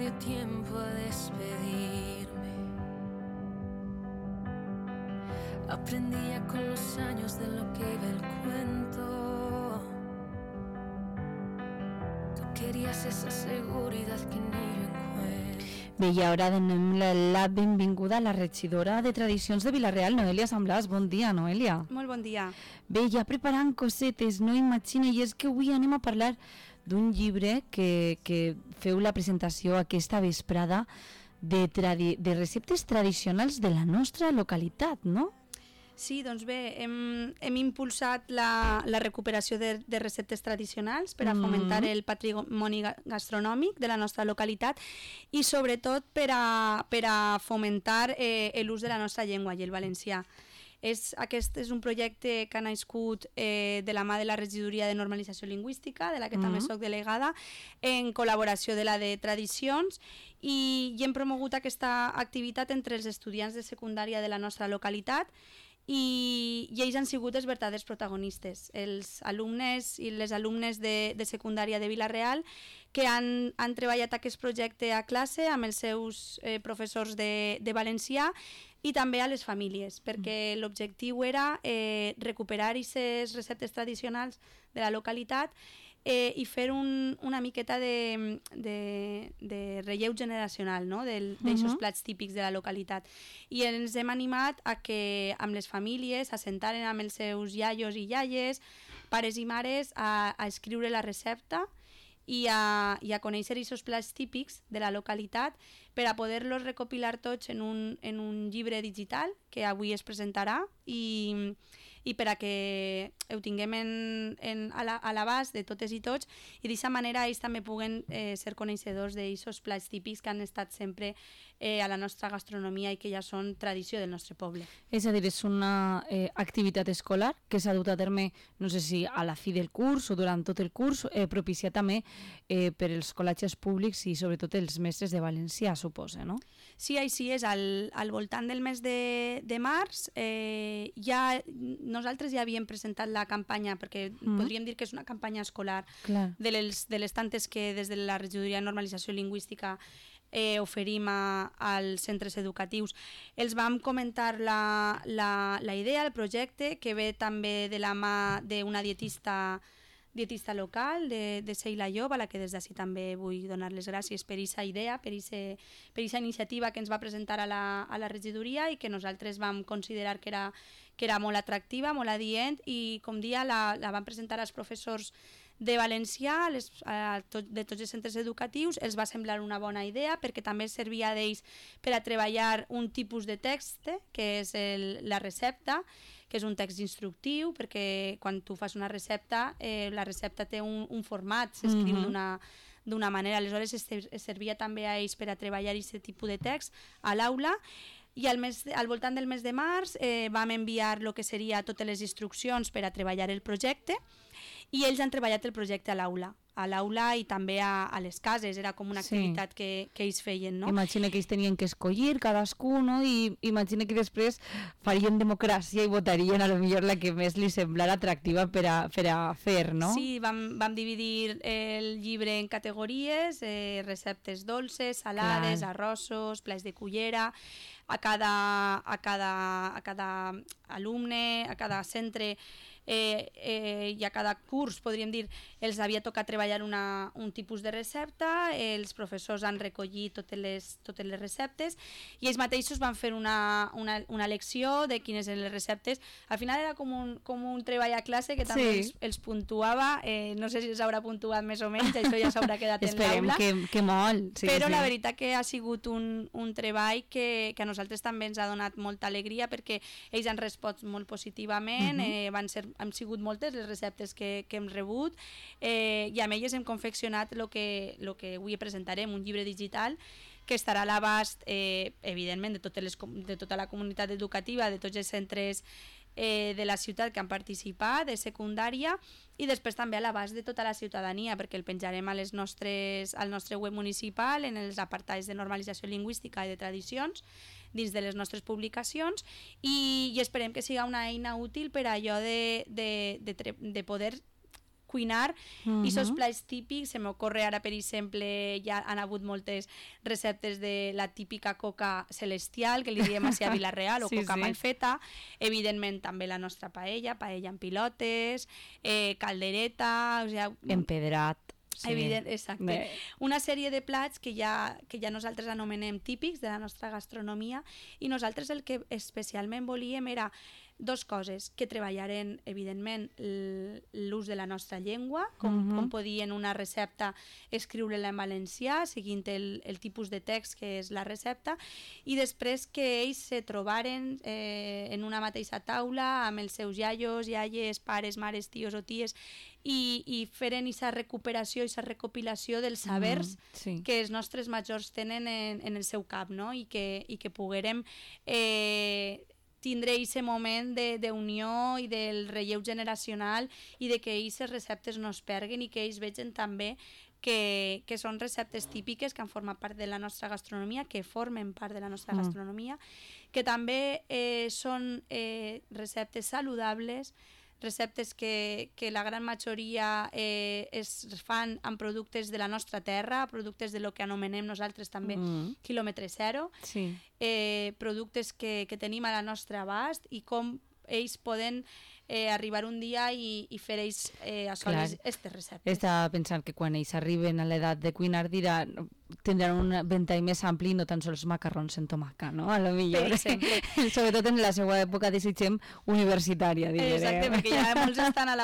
dio tiempo a despedirme. Aprendía con los años de lo que iba el cuento. Tú querías esa seguridad que en ello encuentro. Bé, i ara donem la benvinguda a la regidora de Tradicions de Vila-real, Noelia Samblàs. Bon dia, Noelia. Molt bon dia. Bé, ja preparant cosetes, no imagina, i és que avui anem a parlar d'un llibre que feu la presentació aquesta vesprada de receptes tradicionals de la nostra localitat, no? Sí, doncs bé, hem impulsat la recuperació de receptes tradicionals per a fomentar el patrimoni gastronòmic de la nostra localitat i sobretot per a fomentar l'ús de la nostra llengua i el valencià. Aquest és un projecte que ha nascut de la mà de la Regidoria de Normalització Lingüística, de la que també soc delegada, en col·laboració de la de Tradicions, i hem promogut aquesta activitat entre els estudiants de secundària de la nostra localitat, i ells han sigut els verdaders protagonistes, els alumnes i les alumnes de secundària de Vila-real, que han treballat aquest projecte a classe amb els seus professors de valencià i també a les famílies, perquè l'objectiu era recuperar aquestes receptes tradicionals de la localitat i fer una miqueta de relleu generacional, no? D'aixòs plats típics de la localitat. I ens hem animat a que amb les famílies s'assentaren amb els seus iaios i iaies, pares i mares, a escriure la recepta i a conèixer aquests plats típics de la localitat per a poder-los recopilar tots en un llibre digital que avui es presentarà i per a que ho tinguem a l'abast de totes i tots, i d'aquesta manera ells també puguen ser coneixedors d'aquests plats típics que han estat sempre a la nostra gastronomia i que ja són tradició del nostre poble. És a dir, és una activitat escolar que s'ha dut a terme, no sé si a la fi del curs o durant tot el curs, propiciat també per els col·legis públics i sobretot els mestres de valencià, suposa, no? Sí, així és. Al voltant del mes de març nosaltres ja havíem presentat la campanya, perquè podríem dir que és una campanya escolar de les tantes que des de la Regidoria de Normalització Lingüística oferim als centres educatius. Els vam comentar la idea, el projecte, que ve també de la mà d'una dietista local, de Sheila Llop, a la que des d'ací també vull donar les gràcies per aquesta idea, per aquesta iniciativa que ens va presentar a la regidoria i que nosaltres vam considerar que era molt atractiva, molt adient, i com dia la vam presentar als professors de valencià, de tots els centres educatius. Els va semblar una bona idea perquè també servia d'ells per a treballar un tipus de text, que és la recepta, que és un text instructiu, perquè quan tu fas una recepta, la recepta té un format, s'escriu d'una manera. Aleshores es servia també a ells per a treballar aquest tipus de text a l'aula, i al voltant del mes de març vam enviar el que seria totes les instruccions per a treballar el projecte, i ells han treballat el projecte a l'aula i també a les cases. Era com una activitat que ells feien, no? Imagina que ells tenien que escollir cadascú, no? I imagina que després farien democràcia i votarien a lo millor la que més li semblara atractiva per a fer, no? Sí, vam dividir el llibre en categories, receptes dolces, salades, arrossos, plats de cullera. A cada alumne, a cada centre i a cada curs, podríem dir, els havia tocat treballar un tipus de recepta. Els professors han recollit totes les receptes i ells mateixos van fer una lecció de quines eren les receptes. Al final era com un treball a classe que també els puntuava. No sé si s'haurà puntuat més o menys, això ja s'haurà quedat en l'aula. Esperem que molt. Però la veritat que ha sigut un treball que a nosaltres també ens ha donat molta alegria, perquè ells han respost molt positivament. Han sigut moltes les receptes que hem rebut, i amb elles hem confeccionat el que avui presentarem, un llibre digital que estarà a l'abast, evidentment, de tota la comunitat educativa, de tots els centres de la ciutat que han participat, de secundària, i després també a l'abast de tota la ciutadania, perquè el penjarem al nostre web municipal, en els apartats de normalització lingüística i de tradicions, dins de les nostres publicacions, i esperem que siga una eina útil per a allò de poder cuinar i sos plats típics. Se m'ocorre ara, per exemple, ja han hagut moltes receptes de la típica coca celestial, que li diem així a Vila-real, o coca malfeta. Evidentment també la nostra paella amb pilotes, caldereta, o sigui, empedrat. Sí. Evident, exacte. Una sèrie de plats que ja nosaltres anomenem típics de la nostra gastronomia, i nosaltres el que especialment volíem era dos coses, que treballaren evidentment l'ús de la nostra llengua, com podien una recepta escriure-la en valencià seguint el tipus de text que és la recepta, i després que ells se trobaren en una mateixa taula amb els seus iaios, iaies, pares, mares, tios o ties, i feren aquesta recuperació, aquesta recopilació dels sabers que els nostres majors tenen en el seu cap, no? I que poguérem tindre aquest moment d'unió i del relleu generacional, i de que aquestes receptes no es perguen i que ells vegin també que són receptes típiques que han format part de la nostra gastronomia, que formen part de la nostra gastronomia, que també són receptes saludables, receptes que la gran majoria es fan amb productes de la nostra terra, productes de lo que anomenem nosaltres també quilòmetre zero, productes que tenim a la nostra abast, i com ells poden arribar un dia i fer ells assolir aquestes receptes. Estava pensant que quan ells arriben a l'edat de cuinar tindran un ventall més ampli i no tan sols macarrons en tomaca, no? A lo millor. Sobretot en la seva època, desitgem, universitària, diré. Exacte, perquè ja molts estan a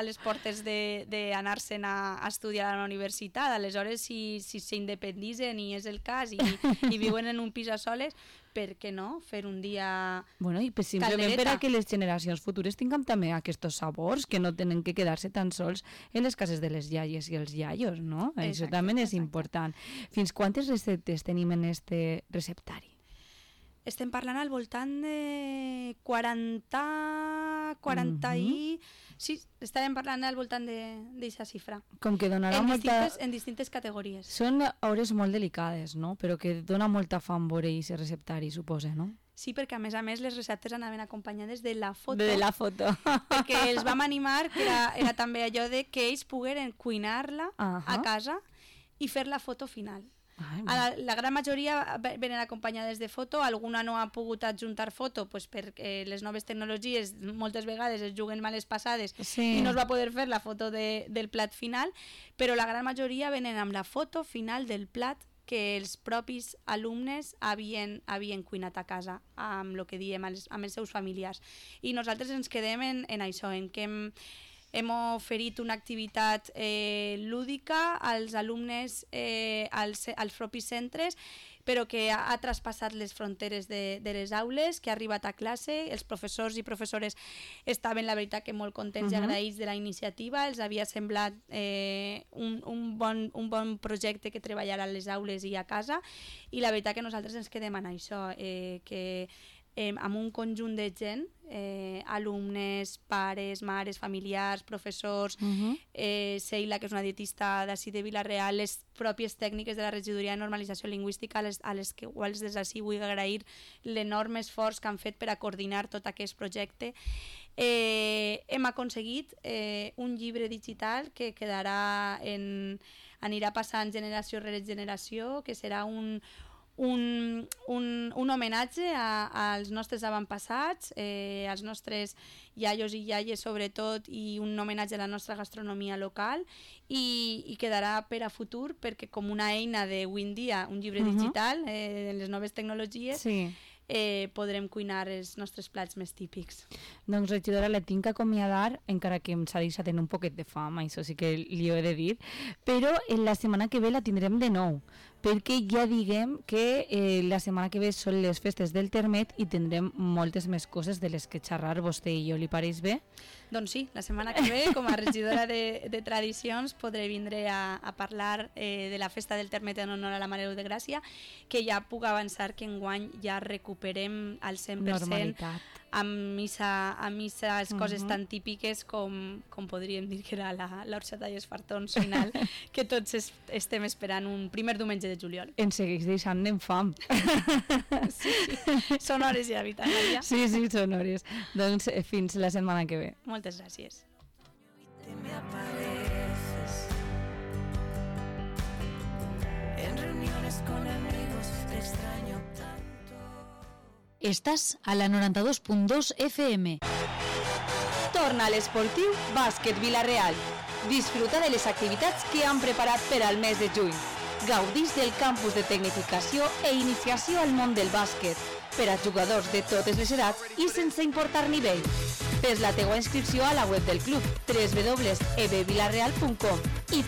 les portes d'anar-se'n a estudiar a la universitat. Aleshores, si s'independitzen, i és el cas, i viuen en un pis a soles, per què no fer un dia i simplement per a que les generacions futures tinguem també aquests sabors, que no tenen que quedar-se tan sols en les cases de les iaies i els iaios, no? Això també és important. Fins quantes receptes tenim en este receptari? Estem parlant al voltant de 40 i... Sí, estarem parlant al voltant d'aquesta xifra. Com que donarà molta... En distintes categories. Són hores molt delicades, no? Però que dona molta fam veure aquest receptari, suposa, no? Sí, perquè a més les receptes anaven acompanyades de la foto. De la foto. Perquè els vam animar, que era també allò de que ells pogueren cuinar-la a casa i fer la foto final. La gran majoria venen acompanyades de foto, alguna no ha pogut adjuntar foto perquè les noves tecnologies moltes vegades es juguen males passades i no es va poder fer la foto del plat final, però la gran majoria venen amb la foto final del plat que els propis alumnes havien cuinat a casa amb el que diem amb els seus familiars. I nosaltres ens quedem en això, en que hem oferit una activitat lúdica als alumnes, als propis centres, però que ha traspassat les fronteres de les aules, que ha arribat a classe. Els professors i professores estaven, la veritat, que molt contents i agraïts de la iniciativa. Els havia semblat un bon projecte que treballar a les aules i a casa, i la veritat que nosaltres ens quedem en això, que amb un conjunt de gent, alumnes, pares, mares, familiars, professors, Sheila, que és una dietista d'ací de Vila-real, les pròpies tècniques de la regidoria de normalització lingüística, a les quals des d'ací vull agrair l'enorme esforç que han fet per a coordinar tot aquest projecte. Hem aconseguit un llibre digital que anirà passant generació rere generació, que serà un homenatge als nostres avantpassats, als nostres iaios i iaies sobretot, i un homenatge a la nostra gastronomia local, i quedarà per a futur, perquè com una eina d'avui en dia, un llibre digital, les noves tecnologies, podrem cuinar els nostres plats més típics. Doncs, regidora, la tinc que acomiadar, encara que em s'ha deixat un poquet de fam, això sí que li ho he de dir, però la setmana que ve la tindrem de nou, perquè ja diguem que la setmana que ve són les festes del Termet i tindrem moltes més coses de les que xerrar vostè i jo. Li pareix bé? Doncs sí, la setmana que ve, com a regidora de tradicions, podré vindre a parlar de la festa del Termet en honor a la Mare de Gràcia, que ja puc avançar que enguany ja recuperem al 100% normalitat, amb aquestes coses tan típiques com podríem dir que era l'orxata i els fartons final, que tots estem esperant un primer diumenge de juliol. Ens segueix deixant en fam. Sí, són hores ja, Vitàlia. Sí, són hores. Doncs fins la setmana que ve. Moltes gràcies. te extraño tanto. Estàs a la 92.2 FM. Torna a l'esportiu Bàsquet Vila-real. Disfruta de les activitats que han preparat per al mes de juny. Gaudís del campus de tecnificació e iniciació al món del bàsquet per a jugadors de totes les edats i sense importar nivell. Fes la teua inscripció a la web del club www.ebvilareal.com i